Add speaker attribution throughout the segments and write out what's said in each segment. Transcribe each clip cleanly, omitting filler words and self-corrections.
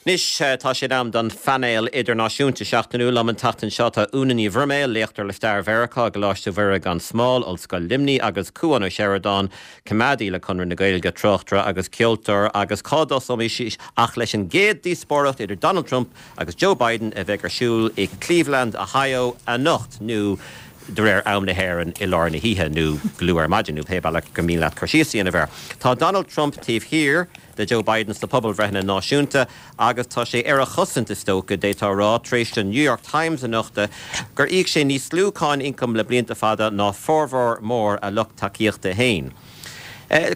Speaker 1: Anois tá sé in am don phainéal idirnáisiúnta seachtainiúil. Liom an tseachtain seo tá Úna Ní Bhroiméil, léachtóir le stair Mheiriceá i gColáiste Mhuire gan Smál, Ollscoil Luimnigh, agus Cúán Ó Seireadáin, coimeádaí le Conradh na Gaeilge, tráchtaire agus ceoltóir. Agus cá dtosóimis ach leis an gcéad díospóireacht idir Donald Trump agus Joe Biden a bheidh ar siúl i Cleveland, Ohio anocht, nó de réir am na hÉireann i lár na hoíche, nó go luath ar maidin, nó pé bealach gur mian leat cur síos a dhéanamh air. Tá Donald Trump taobh thiar de Joe Biden sna pobalbhreitheanna náisiúnta agus tá sé ar a chosaint, is dócha, d'fhéadfá a rá, tar éis don New York Times a nochtadh gur íoc sé níos lú cáin ioncaim le blianta fada ná formhór mór a lucht tacaíochta féin.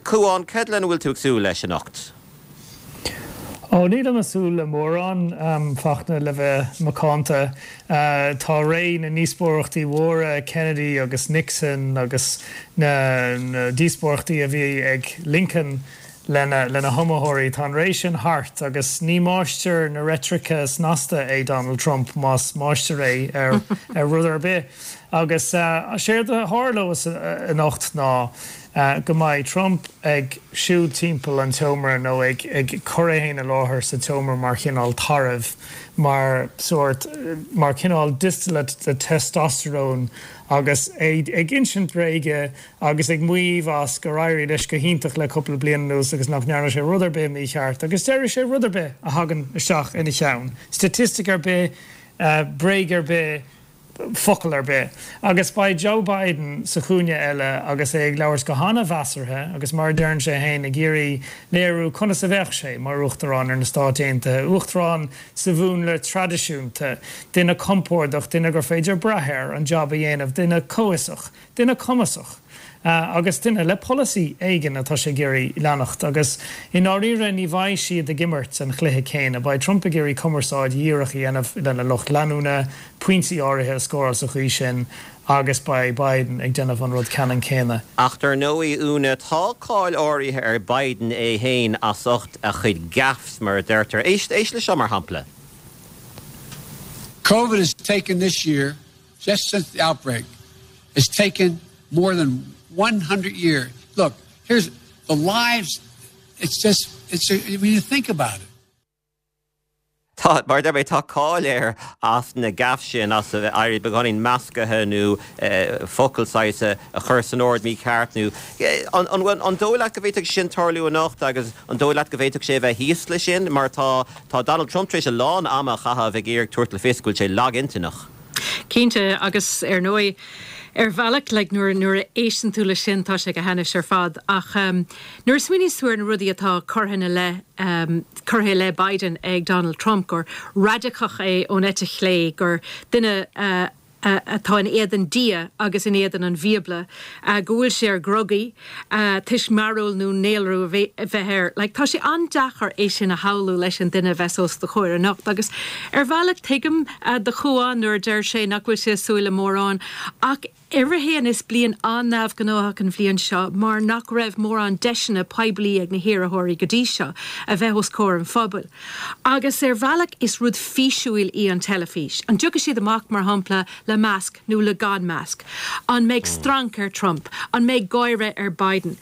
Speaker 1: Cúán, cad lena bhfuil tú ag súil leis anocht?
Speaker 2: Ó, nílim ag súil le mórán, Fachtna, le bheith macánta. Tá ré na ndíospóireachtaí mhóra, Kennedy agus Nixon agus na díospóireachtaí a bhí ag Lincoln lena hiomaitheoirí, tá an ré sin thart agus ní máistir na reitrice snasta é Donald Trump, más máistir é ar rud ar bith. Agus séard a tharlós anocht ná go mbeidh Trump ag siúl timpeall an tseomra nó ag cur é féin i láthair sa tseomra mar chineál tairbh, mar sórt, mar chineál distillate de testosterone agus é ag insint bréige agus ag maíomh as gur éirigh leis go hiontach le cúpla bliain anuas agus nach ndearna sé rud ar bith mícheart agus déarfaidh sé rud ar bith a thagann isteach ina cheann, staitistic ar bith, bréag ar bith. focal ar bith. Agus beidh Joe Biden sa chúinne eile agus é ag labhairt go han-mheasartha agus, mar a deireann sé féin, ag iarraidh léiriú conas a bheadh sé mar Uachtarán ar na Stáit Aontaithe, Uachtarán sa mhúnla traidisiúnta, duine compordach, duine gur féidir brath air an jab a dhéanamh, duine comhfhiosach. Duine cumasach agus duine le polasaí éigin atá sé ag iarraidh leanacht agus i ndáiríre ní bheidh siad ag imirt an chluiche céanna. Beidh Trump ag iarraidh cumarsáid dhíreach a dhéanamh lena lucht leanúna, pointí áirithe a scóráil sa chaoi sin agus beidh Biden ag déanamh an rud ceannann céanna.
Speaker 1: Ach dar ndóigh, Úna, tá cáil áirithe ar Biden é féin as ucht a chuid gaffes, mar a deirtear. Éist, éist le seo mar shampla.
Speaker 3: Covid has taken this year just since the outbreak, has taken more than 100 years. Look, here's the lives, it's just, it's a, when you think about it.
Speaker 1: Tá, mar a deir mé, tá cáil air as na gaffes sin, as a bheith éirí beagáinín meascaithe nó focal saghas a chur san ord mícheart nó an, an dóigh leat go bhféadfadh sin tarlú anocht agus an dóigh leat go bhféadfadh sé a bheith thíos leis sin mar tá, tá Donald Trump tar éis a lán ama a chaitheamh ag iarraidh tabhairt le fios go bhfuil sé lagintinneach.
Speaker 4: Cinnte, agus ar ndóigh, ar bhealach, like, nuair, nuair a éisteann tú leis sin, tá sé go hainnis ar fad. Ach nuair a smaoiníonn tú ar na rudaí atá curtha ina leith, curtha i leith Biden ag Donald Trump, gur raidiceach é ón eite chlé, gur duine atá in éadan Dia agus in éadan an Bhíobla, go bhfuil sé ar dhrugaí, toisc mearbhall nó néalrú a bheith air. Like, tá sé an-deacair é sin a shamhlú leis an duine a bheas os do chomhair anocht. Agus ar bhealach tuigim do Chúán nuair a deir sé nach bhfuil sé ag súil le mórán. Ach uimhir a haon, is bliain an-neamhghnóthach an bhliain seo mar nach raibh mórán deiseanna poiblí ag na hiarrthóirí go dtí seo a bheith os comhair an phobail. Agus ar bhealach is rud físiúil í an teilifís. An dtiocfaidh siad amach, mar shampla, le masc nó le gan masc? An mbeidh stranc ar Trump? An mbeidh gáire ar Biden?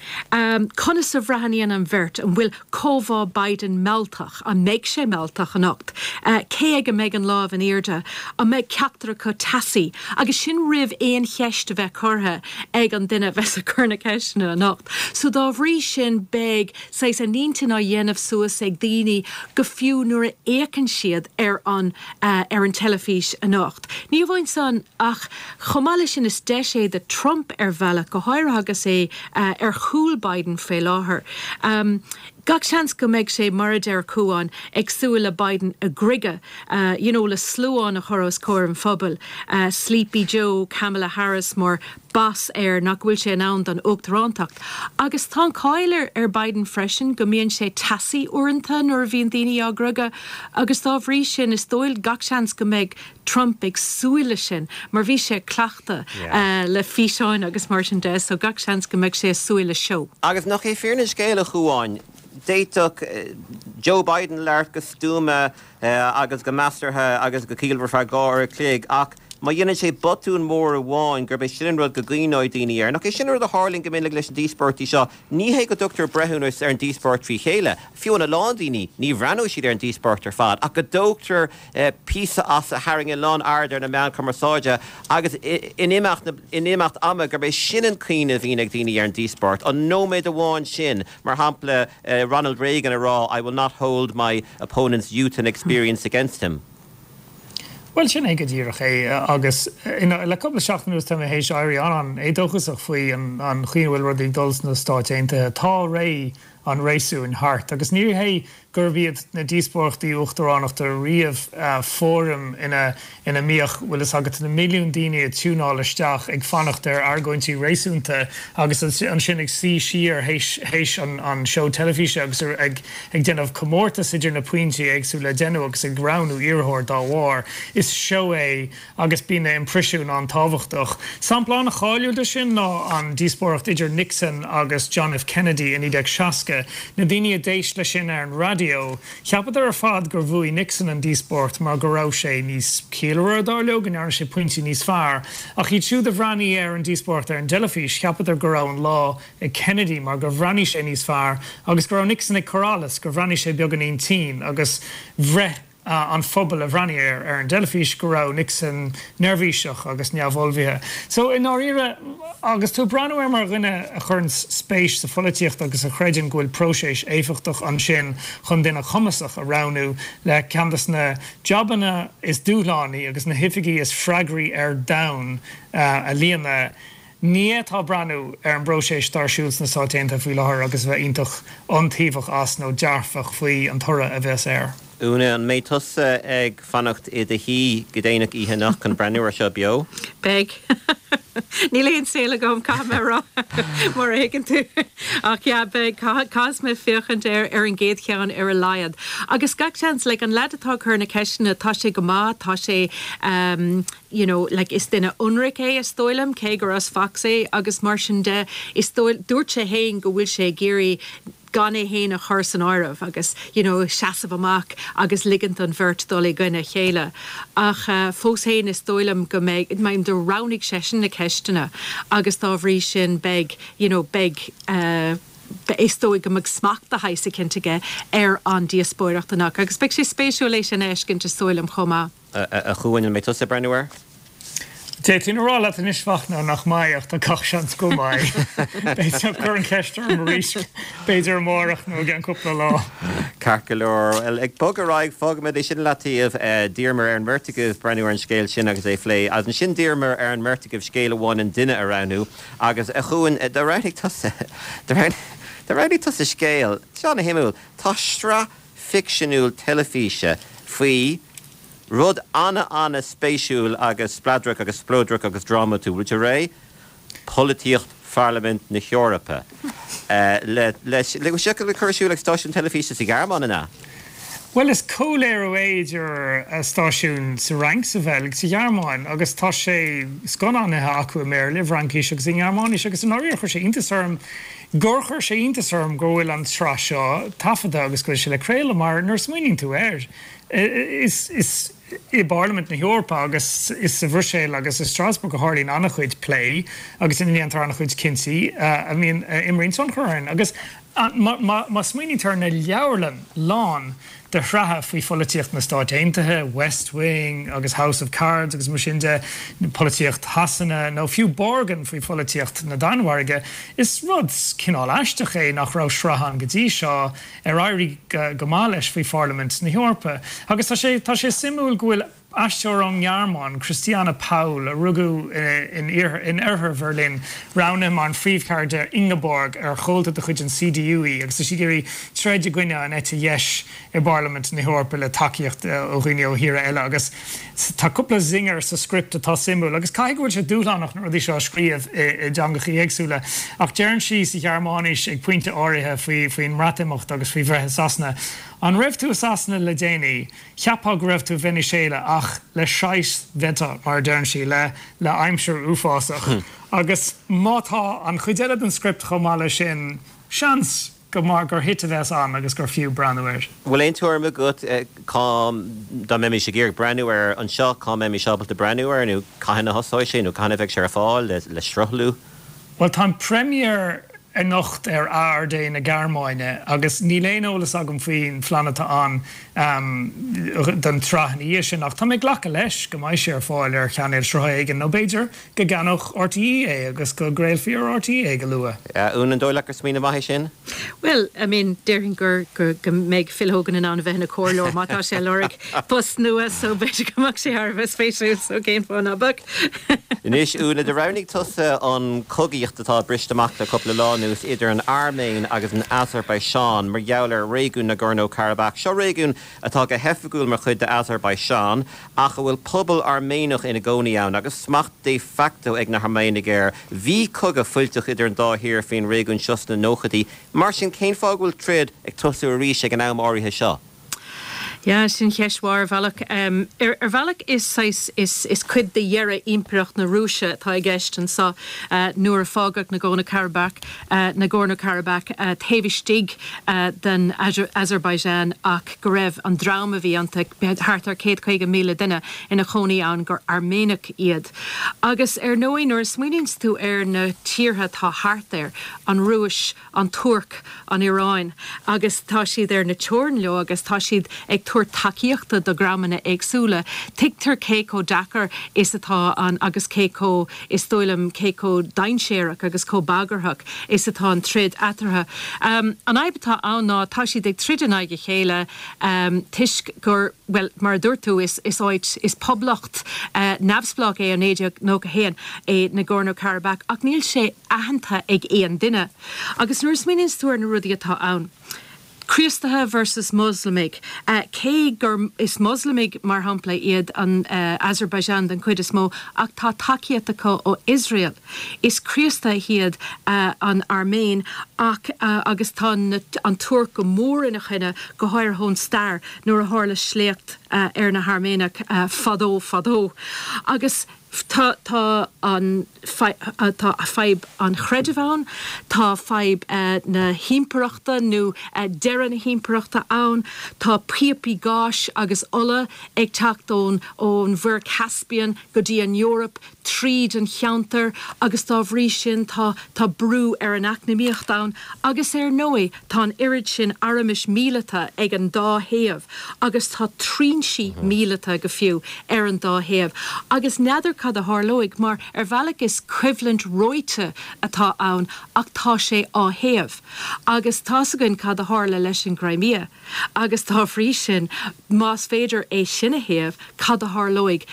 Speaker 4: Conas a bhreathnaíonn an bheirt? An bhfuil comhbhá Biden mealltach? An mbeidh sé mealltach anocht? Cé aige a mbeidh an lámh in airde? An mbeidh ceachtar acu teasaí? Agus sin roimh aon cheist a bheith curtha ag an duine a bheas ag cur na ceisteanna anocht. So dá bhrí sin beidh saghas a n-intinn á dhéanamh suas ag daoine go fiú nuair a fhéachann siad ar an ar an teilifís anocht. Ní amháin san, ach chomh maith leis sin is deis é do Trump ar bhealach, go háirithe agus é ar chúl Biden faoi láthair. Gach seans go mbeidh sé, mar a deir Cúán, ag súil le Biden a ghriogadh, you know le sluán a chur os comhair an phobail, Sleepy Joe, Kamala Harris mar bpas air nach bhfuil sé in ann don uachtarántacht. Agus tá an cáil ar ar Biden freisin go mbíonn sé teasaí uaireanta nuair a bhíonn daoine á ghriogadh agus dá bhrí sin is dóigh gach seans go mbeidh Trump ag súil leis sin mar bhí sé ag cleachtadh le físeáin agus mar sin de so gach seans go mbeidh sé ag súil le seó.
Speaker 1: Agus nach é fírinne an scéil, a Chúáin, d'fhéadfadh Joe Biden labhairt go stuama agus go measartha agus go ciallmhar feadh 2 uair a chloig ach. má dhéanann sé botún mór amháin, gurb é sin an rud go gcuimhneoidh daoine air. Nach é sin an rud a tharlaíonn go minic leis na díospóireachtaí seo? Ní hé go dtugtar breithiúnas ar an díospóireacht trí chéile, fiú amháin a lán daoine, ní bhreathnóidh siad ar an díospóireacht ar fad, ach go dtógtar píosa as a tharraing a lán aird ar na meáin chumarsáide agus in imeacht na, in imeacht ama gurb é sin an cuimhne a bhíonn ag daoine ar an díospóireacht, an nóiméad amháin sin, mar shampla Ronald Reagan a rá I will not hold my opponent's youth and experience against him.
Speaker 2: Bhuel, sin é go díreach é agus le cúpla seachtain anuas tá mé théis éirí an-an-éadóchasach faoi an chaoi a bhfuil rudaí ag dul sna Stáit Aontaithe. Tá ré an réasúin thart agus ní hé gurb iad na díospóireachtaí uachtaránachta riamh fóraim ina ina mbíodh, bhfuil fhios agat, na milliúin daoine ag tiúnáil isteach ag fanacht ar argóintí réasúnta agus ansin ag suí siar théis théis an seó teilifíse agus ag ag déanamh comórtas idir na pointí éagsúla a deineadh agus ag roghnú iarrthóir dá bharr. Is seó é agus bíonn na imprisiúin an-tábhachtach. Sampla an-cháiliúil de sin ná an díospóireacht idir Nixon agus John F. Kennedy i 1960. Na daoine a d'éist leis sin ar an raidió, cheapadar ar fad gur bhuaigh Nixon an díospóireacht mar go raibh sé níos ciallmhaire, dar leo, go ndearna sé pointí níos fearr. Ach iad siúd a bhreathnaigh ar an díospóireacht ar an dteilifís, cheapadar go raibh an lá ag Kennedy mar gur bhreathnaigh sé níos fearr agus go raibh Nixon ag cur allas, gur bhreathnaigh sé beagáinín tinn agus bhraith an phobal a bhreathnaigh air ar an dteilifís go raibh Nixon neirbhíseach agus neamhullmhaithe. So, i ndáiríre, agus tú ag breathnú air mar dhuine a chuireann spéis sa pholaitíocht agus a chreideann go bhfuil próiseas éifeachtach ansin chun duine cumasach a roghnú le ceann de na jabanna is dúshlánaí agus na hoifigí is freagraí ar domhan a líonadh, Ní fhéadfá breathnú ar an bpróiseas atá ar siúl sna Stáit Aontaithe faoi láthair agus a bheith iontach iontaobhach as nó dearfach faoi an toradh a bheas air.
Speaker 1: Úna, an mbeidh tusa ag fanacht i do shuí go déanach oíche anocht chun breathnú ar seo beo?
Speaker 4: Beidh. Níl aon saol agam, caithfidh mé a rá, mar a thuigeann tú. Ach yeah, beidh. Caithfidh mé féachaint air ar an gcéad cheann ar a laghad. Agus gach seans, like, an leaid atá ag cur na ceisteanna, tá sé go maith, tá sé, you know, like, is duine ionraic é, is dóigh liom, cé gur as Fox é agus mar sin de, is dóigh, dúirt sé fhéin go bhfuil sé ag iarraidh gan é fhéin a chur san áireamh agus, you know, seasamh amach agus ligint don bheirt dul i gcoinne a chéile. Ach fós fhéin is dóigh liom go mbeidh, mar do roghnaigh seisean na ceisteanna agus dá bhrí sin beidh, you know, beidh eh, is dóigh go mbeidh smacht de shaghas eicínt aige ar an díospóireacht anocht agus beidh sé spéisiúil é sin a fheiscint is dóigh liom chomh maith.
Speaker 1: A Chuain, an mbeidh tusa ag breathnú air?
Speaker 2: D'fhéadfainn a rá leat anois, a Fhachtna, nach mbeidh, ach tá gach seans go mbeidh. B'fhéidir, cuir an cheist orm arís, b'fhéidir amárach nó i gceann cúpla lá.
Speaker 1: Ceart go leor. Bhuel, ag bogadh ar aghaidh, fágfaimid é sin i leataobh. D'iarramar ar an mbeirt agaibh breathnú ar an scéal sin agus é a phlé. Agus ansin d'iarramar ar an mbeirt agaibh scéal amháin an duine a roghnú. Agus, a Chuain, do roghnaigh tusa, do roghnaigh tusa scéal, seo ana-shuimiúil. Tá sraith ficseanúil teilifíse faoi rud ana-ana-spéisiúil agus spleodrach agus spleodrach agus drámatúil. Bhfuil tú réidh? Polaitíocht Pharlaimint na hEorpa. Le, le, le, seo le cur ar siúl ag stáisiún teilifíse sa Ghearmáin, an ea?
Speaker 2: Bhuel, is comhléiriú é idir stáisiún sa Fhrainc, sa Bheilg, sa Ghearmáin agus tá sé scannánaithe acu i mBéarla, i bhFraincís agus i nGearmáinis agus i ndáiríre chuir sé iontas orm gur chuir sé iontas orm go bhfuil an tsraith seo taifeadta agus go bhfuil sé le craoladh mar nuair a smaoiníonn tú air, is is i bParlaimint na hEorpa agus is sa Bhruiséil agus i Strasbourg a tharlaíonn an-chuid plé agus ina ndéantar an-chuid cinntí a mbíonn a imríonn tionchar orainn. Agus má smaoiníonn tú ar na leabharlann lán de shraithe faoi pholaitíocht na Stáit Aontaithe, West Wing agus House of Cards agus mar sin de, polaitíocht Shasana nó fiú Borgen faoi pholaitíocht na Danmhairge. Is rud cineál aisteach é nach raibh sraith ann go dtí seo ar éirigh go maith leis faoi Pharlaimint na hEorpa. Agus tá sé tá sé suimiúil go bhfuil Aisteoir ón nGearmáin, Christiane Paul, a rugadh in oirthear Bheirlín, roghnaithe mar an phríomhcharachtar Ingeborg, ar chomhalta de chuid an CDU í, agus tá sí ag iarraidh troid i gcoinne an eite dheis i bParlaimint na hEorpa le tacaíocht ó dhaoine ó thíortha eile. Agus tá cúpla zinger sa script atá suimiúil, agus caithfidh go bhfuil sé dúshlánach na rudaí seo a scríobh i dteangacha éagsúla. Ach deireann sí sa Ghearmáinis ag pointe áirithe faoin mBreatimeacht agus faoi bhreith i Sasana, An raibh tú i Sasana le déanaí? Cheapfá go raibh tú i Veiniséala ach le scheiß Wetter, mar a deireann sí, le le aimsir uafásach. Agus má tá an chuid eile den script chomh maith leis sin, seans. go mar gur hit a bheas ann agus gur fiú breathnú air.
Speaker 1: Bhfuil aon tuairim agat cá, dá mbeimis ag iarraidh breathnú air anseo, cá mbeimis ábalta breathnú air nó cathain a thosóidh sé nó cathain a bheidh sé ar fáil le sruthlú?
Speaker 2: Bhuel, tá an premiere anocht ar ARD na Gearmáine agus níl aon eolas agam faoin phlean atá ann don tsraith ina dhiaidh sin ach tá mé ag glacadh leis go mbeidh sé ar fáil ar chainéal sruthaithe éigin nó b'fhéidir go gceannódh RTÉ é agus go gcraolfaí ar RTÉ é go luath.
Speaker 1: Úna, an dóigh leat gur smaoineamh maith é sin?
Speaker 4: Bhuel, I mean, déarfainn gur, go, go mbeidh Phil Hogan in ann a bheith ina chomhairleoir má tá sé ag lorg post nua so b'fhéidir go mbeadh sé thar a bheith spéisiúil so cén fáth ná beadh?
Speaker 1: Anois, Úna, do roghnaigh tusa an chogaíocht atá briste amach le cúpla lá anuas idir an Airméin agus an Asarbaiseáin mar gheall ar réigiún Nagorno-Karabakh. Seo réigiún atá go hoifigiúil mar chuid d'Asarbaiseáin ach a bhfuil pobal Airméanach ina gcónaí ann agus smacht de facto ag na hAirméanaigh air. Bhí cogadh fuilteach idir an dá thír faoin réigiún seo sna nóchaidí. Mar sin, cén fáth go bhfuil troid ag tosú arís ag an am áirithe seo?
Speaker 4: Yeah, sin ceist mhaith ar bhealach. Ar bhealach is saghas, is, is cuid de dheireadh Impireacht na Rúise atá i gceist anseo nuair a fágadh Nagorno-Karabakh, Nagorno-Karabakh taobh istigh den Azerbaijan ach go raibh an dream a bhí iontu, thart ar 150,000 duine ina chónaí ann, gur Airméanach iad. Agus ar ndóigh nuair a smaoiníonns tú ar na tíortha atá thart air, an Rúis, an Tuirc, an Iaráin, agus tá siad ar na teorainn leo agus tá siad ag tabhairt tacaíochta do dhreamanna éagsúla. Tuigtear cé chomh deacair is atá an agus cé chomh, is dóigh liom, cé chomh dainséarach agus chomh bagarthach is atá an troid eatarthu. An fhadhb atá ann ná tá siad ag troid in aghaidh a chéile toisc gur, bhuel, mar a dúirt tú, is áit, is poblacht neamhspleách é ó 1991 é Nagorno-Karabakh ach níl sé aitheanta ag aon duine. Agus nuair a smaoiníonns tú ar na rudaí atá ann, Críostaithe versus Moslamaigh, cé gur, is Moslamaigh, mar shampla, iad an Azerbaijan den chuid is mó ach tá tacaíocht acu ó Iosrael. Is Críostaithe iad an Airméin ach, agus tá an Tuirc go mór ina choinne, go háirithe ón stair nuair a tharla sléacht ar na hAirméanaigh fadó fadó. Agus. Tá, tá an, tá fadhb an chreidimh ann, tá fadhb na himpireachta nó deireadh na himpireachta ann, tá píopaí gáis agus ola ag teacht ón, ón Mhuir Caspian go dtí an Eoraip tríd an cheantar agus dá bhrí sin tá, tá brú ar an eacnamaíocht ann agus ar ndóigh tá an oiread sin armais míleata ag an dá thaobh agus tá trinsí míleata go fiú ar an dá thaobh agus n'fheadar cad a tharlóidh mar ar bhealach is coimhlint reoite atá ann ach tá sé á théamh agus tá's againn cad a tharla leis an gCrimea agus dá bhrí sin más féidir é sin a théamh cad a tharlóidh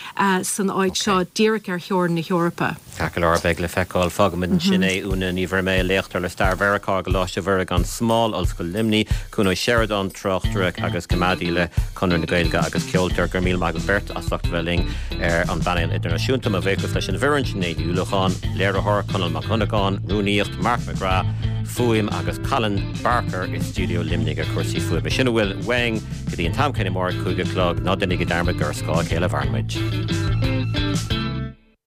Speaker 4: san áit seo díreach ar theorainn na hEorpa.
Speaker 1: Ceart go leor, beidh le feiceáil. Fágfaimid ansin é. Úna Ní Bhroiméil, léachtóir le Stair Mheiriceá i gColáiste Mhuire gan Smál, Ollscoil Luimnigh, Cuan Ó Seireadáin, tráchtaire agus coimeádaí le Conradh na Gaeilge agus ceoltóir. Go raibh míle maith agaibh beirt as ucht a bheith linn ar an bpainéal idirnáisiúnta. Mo bhuíochas leis an bhfoireann, Sinéad Ní Uallacháin, léiritheoir, Conall Mac Dhonnagáin, rúnaíocht, Mark McGrath, fuaim, agus Colin Barker i stiúideo Luimnigh ar chúrsaí fuaime. Sin a bhfuil uainn. Go dtí an t-am céanna amárach, 5 a chlog, ná déanaigí dearmad gur ar scáth a chéile a mhaireann muid.